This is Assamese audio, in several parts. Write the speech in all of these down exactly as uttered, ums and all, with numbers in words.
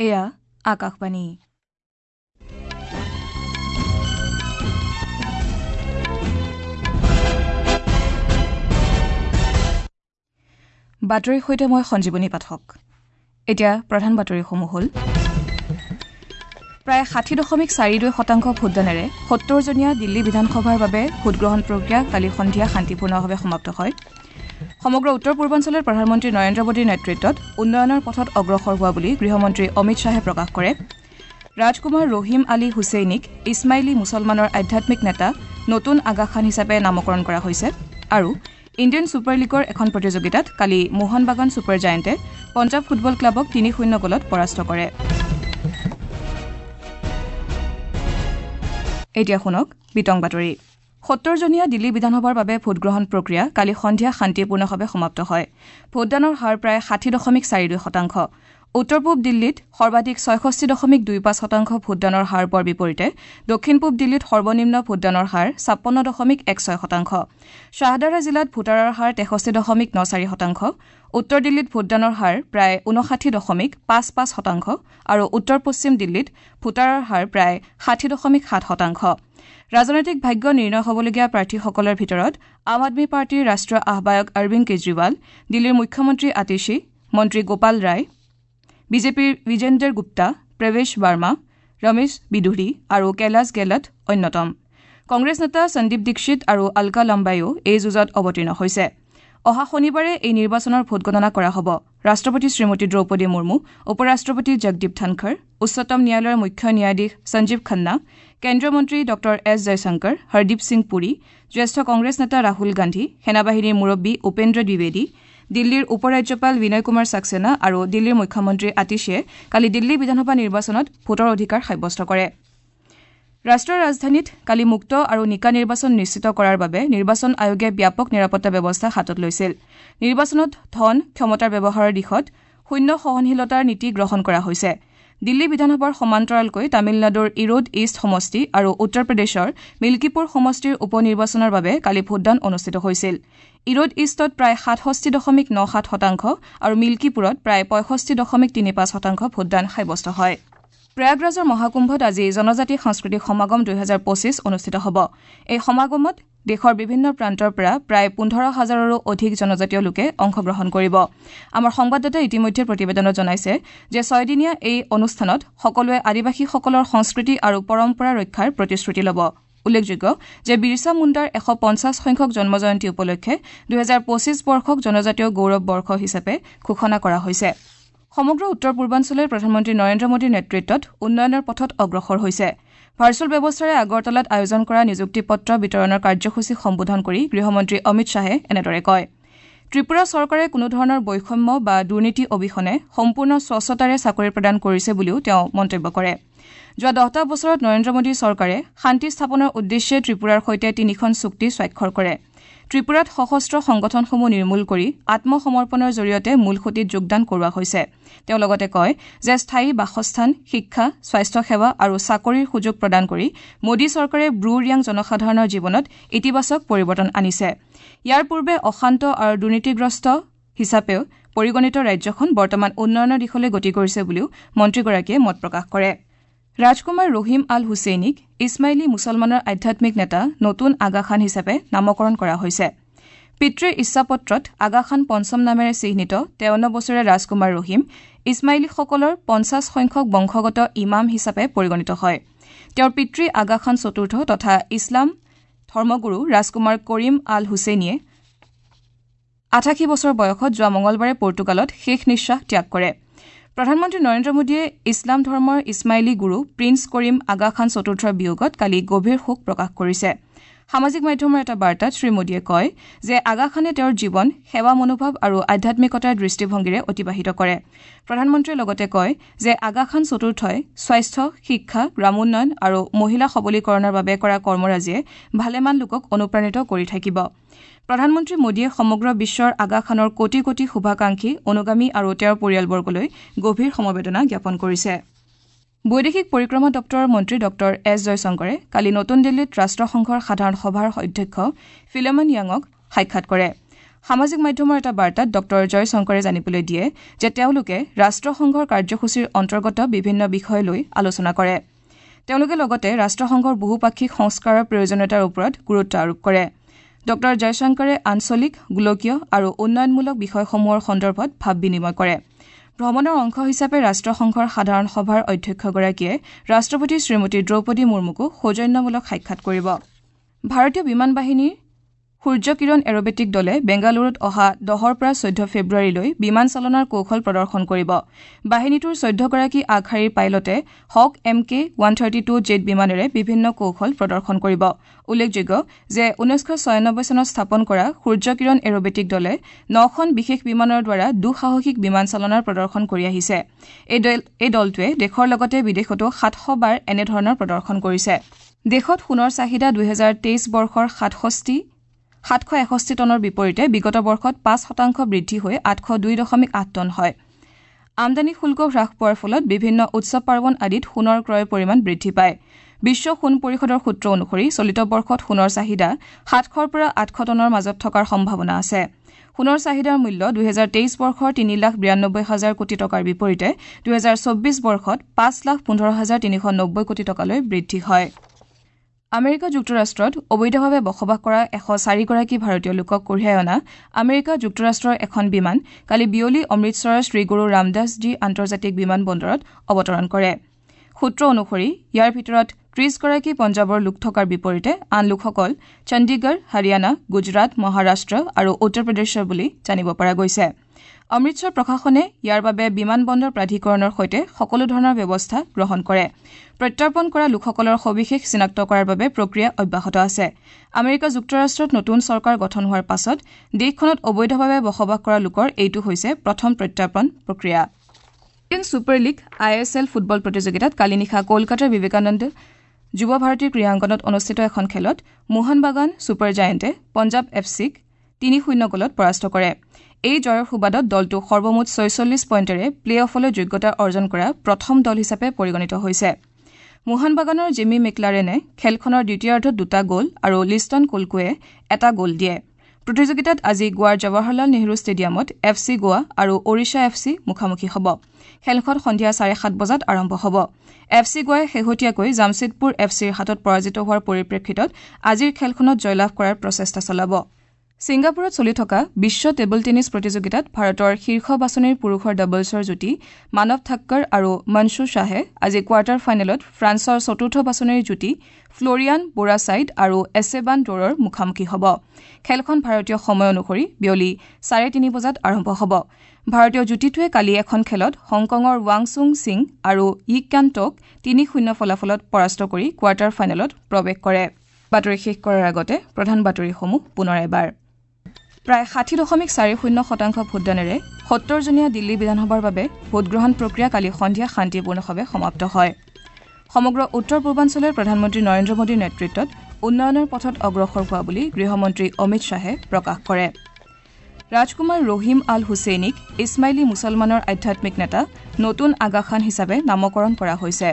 এয়া আকাশবাণী। বাতৰিৰ সৈতে মই সঞ্জীৱনী পাঠক। এতিয়া প্ৰধান বাতৰিসমূহ হ'ল প্ৰায় ষাঠি দশমিক চাৰি দুই শতাংশ ভোটদানেৰে সত্তৰজনীয়া দিল্লী বিধানসভাৰ বাবে ভোটগ্ৰহণ প্ৰক্ৰিয়া কালি সন্ধিয়া শান্তিপূৰ্ণভাৱে সমাপ্ত হয়। সমগ্ৰ উত্তৰ পূৰ্বাঞ্চলত প্ৰধানমন্ত্ৰী নৰেন্দ্ৰ মোদীৰ নেতৃত্বত উন্নয়নৰ পথত অগ্ৰসৰ হোৱা বুলি গৃহমন্ত্ৰী অমিত শ্বাহে প্ৰকাশ কৰে। ৰাজকুমাৰ ৰহিম আলী হুছেইনীক ইছমাইলী মুছলমানৰ আধ্যাত্মিক নেতা নতুন আগা খান হিচাপে নামকৰণ কৰা হৈছে। আৰু ইণ্ডিয়ান ছুপাৰ লীগৰ এখন প্ৰতিযোগিতাত কালি মোহন বাগান ছুপাৰ জায়েণ্টে পঞ্জাৱ ফুটবল ক্লাবক তিনি শূন্য গ'লত পৰাস্ত কৰে। এতিয়া শুনক বিতং বাতৰি। সত্তৰজনীয়া দিল্লী বিধানসভাৰ বাবে ভোটগ্ৰহণ প্ৰক্ৰিয়া কালি সন্ধিয়া শান্তিপূৰ্ণভাৱে সমাপ্ত হয়। ভোটদানৰ হাৰ প্ৰায় ষাঠি দশমিক চাৰি দুই শতাংশ। উত্তৰ পূব দিল্লীত সৰ্বাধিক ছয়ষষ্ঠি দশমিক দুই পাঁচ শতাংশ ভোটদানৰ হাৰ পোৱাৰ বিপৰীতে দক্ষিণ পূব দিল্লীত সৰ্বনিম্ন ভোটদানৰ হাৰ ছাপন্ন দশমিক এক ছয় শতাংশ। শ্বাহদাৰা জিলাত ভোটাৰৰ হাৰ তেষষ্ঠি দশমিক ন চাৰি শতাংশ। উত্তৰ দিল্লীত ভোটদানৰ হাৰ প্ৰায় ঊনষাঠি দশমিক পাঁচ পাঁচ শতাংশ আৰু উত্তৰ পশ্চিম দিল্লীত ভোটাৰৰ হাৰ প্ৰায় ষাঠি দশমিক সাত শতাংশ। ৰাজনৈতিক ভাগ্য নিৰ্ণয় হ'বলগীয়া প্ৰাৰ্থীসকলৰ ভিতৰত আম আদমী পাৰ্টীৰ ৰাষ্ট্ৰীয় আহ্বায়ক অৰবিন্দ কেজৰিৱাল, দিল্লীৰ মুখ্যমন্ত্ৰী আতিশী, মন্ত্ৰী গোপাল ৰায়, বিজেপিৰ বিজেন্দৰ গুপ্তা, প্ৰৱেশ বাৰ্মা, ৰমেশ বিদুৰী আৰু কৈলাশ গেহলট অন্যতম। কংগ্ৰেছ নেতা সন্দীপ দীক্ষিত আৰু অলকা লাম্বাইও এই যুঁজত অৱতীৰ্ণ হৈছে। অহা শনিবাৰে এই নিৰ্বাচনৰ ভোটগণনা কৰা হ'ব। ৰাষ্ট্ৰপতি শ্ৰীমতী দ্ৰৌপদী মুৰ্মু, উপ ৰাষ্ট্ৰপতি জগদীপ ধনখৰ, উচ্চতম ন্যায়ালয়ৰ মুখ্য ন্যায়াধীশ সঞ্জীৱ খান্না, কেন্দ্ৰীয় মন্ত্ৰী ডঃ এছ জয়শংকৰ, হৰদীপ সিং পুৰী, জ্যেষ্ঠ কংগ্ৰেছ নেতা ৰাহুল গান্ধী, সেনাবাহিনীৰ মুৰব্বী উপেন্দ্ৰ দ্বিবেদী, দিল্লীৰ উপ ৰাজ্যপাল বিনয় কুমাৰ ছাক্সেনা আৰু দিল্লীৰ মুখ্যমন্ত্ৰী আতিশীয়ে কালি দিল্লী বিধানসভা নিৰ্বাচনত ভোটৰ অধিকাৰ সাব্যস্ত কৰে। ৰাষ্ট্ৰীয় ৰাজধানীত কালি মুক্ত আৰু নিকা নিৰ্বাচন নিশ্চিত কৰাৰ বাবে নিৰ্বাচন আয়োগে ব্যাপক নিৰাপত্তা ব্যৱস্থা হাতত লৈছিল। নিৰ্বাচনত ধন ক্ষমতাৰ ব্যৱহাৰৰ দিশত শূন্য সহনশীলতাৰ নীতি গ্ৰহণ কৰা হৈছে। দিল্লী বিধানসভাৰ সমান্তৰালকৈ তামিলনাডুৰ ইৰোড ইষ্ট সমষ্টি আৰু উত্তৰ প্ৰদেশৰ মিল্কীপুৰ সমষ্টিৰ উপ নিৰ্বাচনৰ বাবে কালি ভোটদান অনুষ্ঠিত হৈছিল। ইৰোড ইষ্টত প্ৰায় সাতষষ্ঠি দশমিক ন সাত শতাংশ আৰু মিল্কীপুৰত প্ৰায় পঁয়ষষ্ঠি দশমিক তিনি পাঁচ শতাংশ ভোটদান সাব্যস্ত হয়। প্ৰয়াগৰাজৰ মহাকুম্ভত আজি জনজাতি সাংস্কৃতিক সমাগম দুহেজাৰ পঁচিছ অনুষ্ঠিত হ'ব। এই সমাগমত দেশৰ বিভিন্ন প্ৰান্তৰ পৰা প্ৰায় পোন্ধৰ হাজাৰৰো অধিক জনজাতীয় লোকে অংশগ্ৰহণ কৰিব। আমাৰ সংবাদদাতাই ইতিমধ্যে প্ৰতিবেদনত জনাইছে যে ছয়দিনীয়া এই অনুষ্ঠানত সকলোৱে আদিবাসীসকলৰ সংস্কৃতি আৰু পৰম্পৰা ৰক্ষাৰ প্ৰতিশ্ৰুতি ল'ব। উল্লেখযোগ্য যে বিৰছা মুণ্ডাৰ এশ পঞ্চাছ সংখ্যক জন্মজয়ন্তী উপলক্ষে দুহেজাৰ পঁচিছ বৰ্ষক জনজাতীয় গৌৰৱ বৰ্ষ হিচাপে ঘোষণা কৰা হৈছে। সমগ্ৰ উত্তৰ পূৰ্বাঞ্চলে প্ৰধানমন্ত্ৰী নৰেন্দ্ৰ মোদীৰ নেতৃত্বত উন্নয়নৰ পথত অগ্ৰসৰ হৈছে। ভাৰ্চুৱেল ব্যৱস্থাৰে আগৰতলাত আয়োজন কৰা নিযুক্তি পত্ৰ বিতৰণৰ কাৰ্যসূচী সম্বোধন কৰি গৃহমন্ত্ৰী অমিত শ্বাহে এনেদৰে কয়। ত্ৰিপুৰা চৰকাৰে কোনোধৰণৰ বৈষম্য বা দুৰ্নীতি অবিহনে সম্পূৰ্ণ স্বচ্ছতাৰে চাকৰি প্ৰদান কৰিছে বুলিও তেওঁ মন্তব্য কৰে। যোৱা দহটা বছৰত নৰেন্দ্ৰ মোদী চৰকাৰে শান্তি স্থাপনৰ উদ্দেশ্যে ত্ৰিপুৰাৰ সৈতে তিনিখন চুক্তি স্বাক্ষৰ কৰে। ত্ৰিপুৰাত সশস্ত্ৰ সংগঠনসমূহ নিৰ্মূল কৰি আত্মসমৰ্পণৰ জৰিয়তে মূলসুঁতিত যোগদান কৰোৱা হৈছে। তেওঁ লগতে কয় যে স্থায়ী বাসস্থান, শিক্ষা, স্বাস্থ্যসেৱা আৰু চাকৰিৰ সুযোগ প্ৰদান কৰি মোদী চৰকাৰে ব্ৰু ৰিয়াং জনসাধাৰণৰ জীৱনত ইতিবাচক পৰিৱৰ্তন আনিছে। ইয়াৰ পূৰ্বে অশান্ত আৰু দুৰ্নীতিগ্ৰস্ত হিচাপেও পৰিগণিত ৰাজ্যখন বৰ্তমান উন্নয়নৰ দিশলৈ গতি কৰিছে বুলিও মন্ত্ৰীগৰাকীয়ে মত প্ৰকাশ কৰে। ৰাজকুমাৰ ৰহিম আল হুছেইনীক ইছমাইলী মুছলমানৰ আধ্যাত্মিক নেতা নতুন আগা খান হিচাপে নামকৰণ কৰা হৈছে। পিতৃৰ ইচ্ছাপত্ৰত আগা খান পঞ্চম নামেৰে চিহ্নিত তেৱন্ন বছৰীয়া ৰাজকুমাৰ ৰহিম ইছমাইলীসকলৰ পঞ্চাছ সংখ্যক বংশগত ইমাম হিচাপে পৰিগণিত হয়। তেওঁৰ পিতৃ আগা খান চতুৰ্থ তথা ইছলাম ধৰ্মগুৰু ৰাজকুমাৰ কৰিম আল হুছেইনীয়ে আঠাশী বছৰ বয়সত যোৱা মঙলবাৰে পৰ্তুগালত শেষ নিশ্বাস ত্যাগ কৰে। প্ৰধানমন্ত্ৰী নৰেন্দ্ৰ মোদীয়ে ইছলাম ধৰ্মৰ ইছমাইলী গুৰু প্ৰিন্স কৰিম আগা খান চতুৰ্থৰ বিয়োগত কালি গভীৰ শোক প্ৰকাশ কৰিছে। সামাজিক মাধ্যমৰ এটা বাৰ্তাত শ্ৰীমোদীয়ে কয় যে আগা খানে তেওঁৰ জীৱন সেৱা মনোভাৱ আৰু আধ্যাত্মিকতাৰ দৃষ্টিভংগীৰে অতিবাহিত কৰে। প্ৰধানমন্ত্ৰীয়ে লগতে কয় যে আগা খান চতুৰ্থই স্বাস্থ্য, শিক্ষা, গ্ৰামোন্নয়ন আৰু মহিলা সবলীকৰণৰ বাবে কৰা কৰ্মৰাজিয়ে ভালেমান লোকক অনুপ্ৰাণিত কৰি থাকিব। প্ৰধানমন্ত্ৰী মোদীয়ে সমগ্ৰ বিশ্বৰ আগা খানৰ কোটি কোটি শুভাকাংক্ষী, অনুগামী আৰু তেওঁৰ পৰিয়ালবৰ্গলৈ গভীৰ সমবেদনা জ্ঞাপন কৰিছে। বৈদেশিক পৰিক্ৰমা দপ্তৰৰ মন্ত্ৰী ডঃ এছ জয়শংকৰে কালি নতুন দিল্লীত ৰাষ্ট্ৰসংঘৰ সাধাৰণ সভাৰ অধ্যক্ষ ফিলেমন য়াঙক সাক্ষাৎ কৰে। সামাজিক মাধ্যমৰ এটা বাৰ্তাত ডঃ জয়শংকৰে জানিবলৈ দিয়ে যে তেওঁলোকে ৰাষ্ট্ৰসংঘৰ কাৰ্যসূচীৰ অন্তৰ্গত বিভিন্ন বিষয় লৈ আলোচনা কৰে। তেওঁলোকে লগতে ৰাষ্ট্ৰসংঘৰ বহুপাক্ষিক সংস্কাৰৰ প্ৰয়োজনীয়তাৰ ওপৰত গুৰুত্ব আৰোপ কৰে। ডঃ জয়শংকৰে আঞ্চলিক, গোলকীয় আৰু উন্নয়নমূলক বিষয়সমূহৰ সন্দৰ্ভত ভাৱ বিনিময় কৰে। ভ্ৰমণৰ অংশ হিচাপে ৰাষ্ট্ৰসংঘৰ সাধাৰণ সভাৰ অধ্যক্ষগৰাকীয়ে ৰাষ্ট্ৰপতি শ্ৰীমতী দ্ৰৌপদী মুৰ্মুকো সৌজন্যমূলক সাক্ষাৎ কৰিব। ভাৰতীয় বিমান বাহিনীৰ সূৰ্যকিৰণ এৰবেটিক দলে বেংগালুৰুত অহা দহৰ পৰা চৈধ্য ফেব্ৰুৱাৰীলৈ বিমান চালনাৰ কৌশল প্ৰদৰ্শন কৰিব। বাহিনীটোৰ চৈধ্যগৰাকী আগশাৰীৰ পাইলটে Hawk M K one thirty two jet বিমানেৰে বিভিন্ন কৌশল প্ৰদৰ্শন কৰিব। উল্লেখযোগ্য যে ঊনৈছশ ছয়ানব্বৈ চনত স্থাপন কৰা সূৰ্যকিৰণ এৰবেটিক দলে নখন বিশেষ বিমানৰ দ্বাৰা দুঃসাহসিক বিমান চালনাৰ প্ৰদৰ্শন কৰি আহিছে। এই দলটোৱে দেশৰ লগতে বিদেশতো সাতশ বাৰ এনেধৰণৰ প্ৰদৰ্শন কৰিছে। দেশত সোণৰ চাহিদা দুহেজাৰ তেইছ বৰ্ষৰ সাতষষ্ঠি সাতশ এষষ্ঠি টনৰ বিপৰীতে বিগত বৰ্ষত পাঁচ শতাংশ বৃদ্ধি হৈ আঠশ দুই দশমিক আঠ টন হয়। আমদানি শুল্ক হ্ৰাস পোৱাৰ ফলত বিভিন্ন উৎসৱ পাৰ্বণ আদিত সোণৰ ক্ৰয়ৰ পৰিমাণ বৃদ্ধি পায়। বিশ্ব সোণ পৰিষদৰ সূত্ৰ অনুসৰি চলিত বৰ্ষত সোণৰ চাহিদা সাতশৰ পৰা আঠশ টনৰ মাজত থকাৰ সম্ভাৱনা আছে। সোণৰ চাহিদাৰ মূল্য দুহেজাৰ তেইছ বৰ্ষৰ তিনি লাখ বিৰানব্বৈ হাজাৰ কোটি টকাৰ বিপৰীতে দুহেজাৰ চৌব্বিছ বৰ্ষত পাঁচ লাখ পোন্ধৰ হাজাৰ তিনিশ নব্বৈ কোটি টকালৈ বৃদ্ধি হয়। আমেৰিকা যুক্তৰাষ্ট্ৰত অবৈধভাৱে বসবাস কৰা এশ চাৰিগৰাকী ভাৰতীয় লোকক কঢ়িয়াই অনা আমেৰিকা যুক্তৰাষ্ট্ৰৰ এখন বিমান কালি বিয়লি অমৃতসৰৰ শ্ৰীগুৰু ৰামদাসজী আন্তৰ্জাতিক বিমান বন্দৰত অৱতৰণ কৰে। সূত্ৰ অনুসৰি ইয়াৰ ভিতৰত ত্ৰিশগৰাকী পঞ্জাৱৰ লোক থকাৰ বিপৰীতে আন লোকসকল চণ্ডীগড়, হাৰিয়ানা, গুজৰাট, মহাৰাষ্ট্ৰ আৰু উত্তৰ প্ৰদেশৰ বুলি জানিব পৰা গৈছে। অমৃতসৰ প্ৰশাসনে ইয়াৰ বাবে বিমান বন্দৰ প্ৰাধিকৰণৰ সৈতে সকলো ধৰণৰ ব্যৱস্থা গ্ৰহণ কৰে। প্ৰত্যৰ্পণ কৰা লোকসকলৰ সবিশেষ চিনাক্ত কৰাৰ বাবে প্ৰক্ৰিয়া অব্যাহত আছে। আমেৰিকা যুক্তৰাষ্ট্ৰত নতুন চৰকাৰ গঠন হোৱাৰ পাছত দেশখনত অবৈধভাৱে বসবাস কৰা লোকৰ এইটো হৈছে প্ৰথম প্ৰত্যৰ্পণ প্ৰক্ৰিয়া। Indian super league I S L football প্ৰতিযোগিতাত কালি নিশা কলকাতাৰ বিবেকানন্দ যুৱ ভাৰতী ক্ৰীড়াংগনত অনুষ্ঠিত এখন খেলত মোহন বাগান ছুপাৰ জায়েণ্টে পঞ্জাৱ এফ চিক তিনি শূন্য গ'লত পৰাস্ত কৰে। এই জয়ৰ সুবাদত দলটো সৰ্বমুঠ ছয়চল্লিছ পইণ্টেৰে প্লে অফলৈ যোগ্যতা অৰ্জন কৰা প্ৰথম দল হিচাপে পৰিগণিত হৈছে। মোহন বাগানৰ জিমি মেকলাৰেনে খেলখনৰ দ্বিতীয়াৰ্ধত দুটা গ'ল আৰু লিষ্টন কোলকোৱে এটা গ'ল দিয়ে। প্ৰতিযোগিতাত আজি গোৱাৰ জৱাহৰলাল নেহৰু ষ্টেডিয়ামত এফ চি গোৱা আৰু ওড়িশা এফ চি মুখামুখি হ'ব। খেলখন সন্ধিয়া চাৰে সাত বজাত আৰম্ভ হ'ব। এফ চি গোৱাই শেহতীয়াকৈ জামছেদপুৰ এফ চিৰ হাতত পৰাজিত হোৱাৰ পৰিপ্ৰেক্ষিতত আজিৰ খেলখনত জয়লাভ কৰাৰ প্ৰচেষ্টা চলাব। ছিংগাপুৰত চলি থকা বিশ্ব টেবুল টেনিছ প্ৰতিযোগিতাত ভাৰতৰ শীৰ্ষ বাছনিৰ পুৰুষৰ ডাবলছৰ যুটী মানৱ থাক্কৰ আৰু মনছু শ্বাহে আজি কোৱাৰ্টাৰ ফাইনেলত ফ্ৰান্সৰ চতুৰ্থ বাছনিৰ যুটী ফ্লৰিয়ান বোৰাছাইড আৰু এছেবান ডোৰৰ মুখামুখি হ'ব। খেলখন ভাৰতীয় সময় অনুসৰি বিয়লি চাৰে তিনি বজাত আৰম্ভ হ'ব। ভাৰতীয় যুটীটোৱে কালি এখন খেলত হংকঙৰ ৱাং চুং সিং আৰু য়িক টক তিনি শূন্য ফলাফলত পৰাস্ত কৰি কোৱাৰ্টাৰ ফাইনেলত প্ৰৱেশ কৰে। বাতৰি শেষ কৰাৰ আগতে প্ৰধান বাতৰিসমূহ পুনৰ এবাৰ। প্ৰায় ষাঠি দশমিক চাৰি শূন্য শতাংশ ভোটদানেৰে সত্তৰজনীয়া দিল্লী বিধানসভাৰ বাবে ভোটগ্ৰহণ প্ৰক্ৰিয়া কালি সন্ধিয়া শান্তিপূৰ্ণভাৱে সমাপ্ত হয়। সমগ্ৰ উত্তৰ পূৰ্বাঞ্চলৰ প্ৰধানমন্ত্ৰী নৰেন্দ্ৰ মোদীৰ নেতৃত্বত উন্নয়নৰ পথত অগ্ৰসৰ হোৱা বুলি গৃহমন্ত্ৰী অমিত শ্বাহে প্ৰকাশ কৰে। ৰাজকুমাৰ ৰহিম আল হুছেইনীক ইছমাইলী মুছলমানৰ আধ্যাত্মিক নেতা নতুন আগা খান হিচাপে নামকৰণ কৰা হৈছে।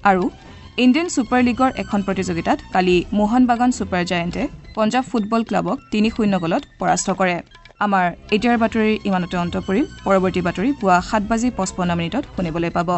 আৰু ইণ্ডিয়ান ছুপাৰ লীগৰ এখন প্ৰতিযোগিতাত কালি মোহন বাগান ছুপাৰ জায়েণ্টে পঞ্জাৱ ফুটবল ক্লাবক তিনি শূন্য গ'লত পৰাস্ত কৰে। আমাৰ এতিয়াৰ বাতৰি ইমানতে অন্ত পৰিল। পৰৱৰ্তী বাতৰি পুৱা সাত বাজি পঁচপন্ন মিনিটত শুনিবলৈ পাব।